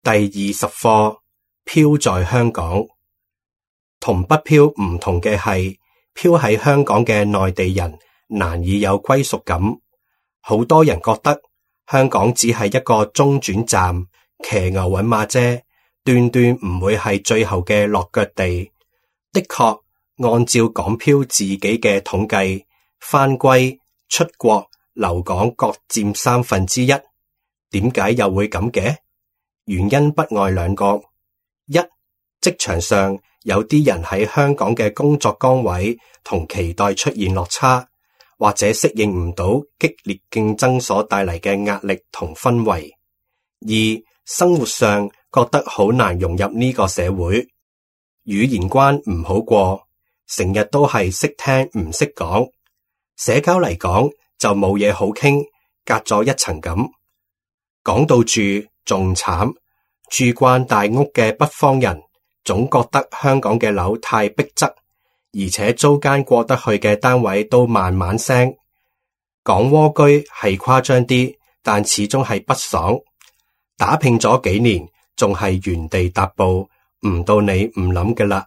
第20課，漂在香港。同北漂唔同嘅係，漂喺香港嘅內地人難以有歸屬感。好多人覺得香港只係一個中轉站，騎牛搵馬啫，斷斷唔會係最後嘅落腳地。的確，按照港漂自己嘅統計，返歸、出國、留港各佔1/3。點解又會咁嘅？原因不外兩個：一，職場上有啲人喺香港嘅工作崗位同期待出現落差，或者適應唔到激烈競爭所帶嚟嘅壓力同氛圍；二，生活上覺得好難融入呢個社會，語言關唔好過，成日都係識聽唔識講，社交嚟講就冇嘢好傾，隔咗一層咁。講到住仲慘，住慣大屋嘅北方人總覺得香港嘅樓太逼仄，而且租間過得去嘅單位都慢慢升。講蝸居係誇張啲，但始終係不爽。打拼咗幾年，仲係原地踏步，唔到你唔諗嘅啦。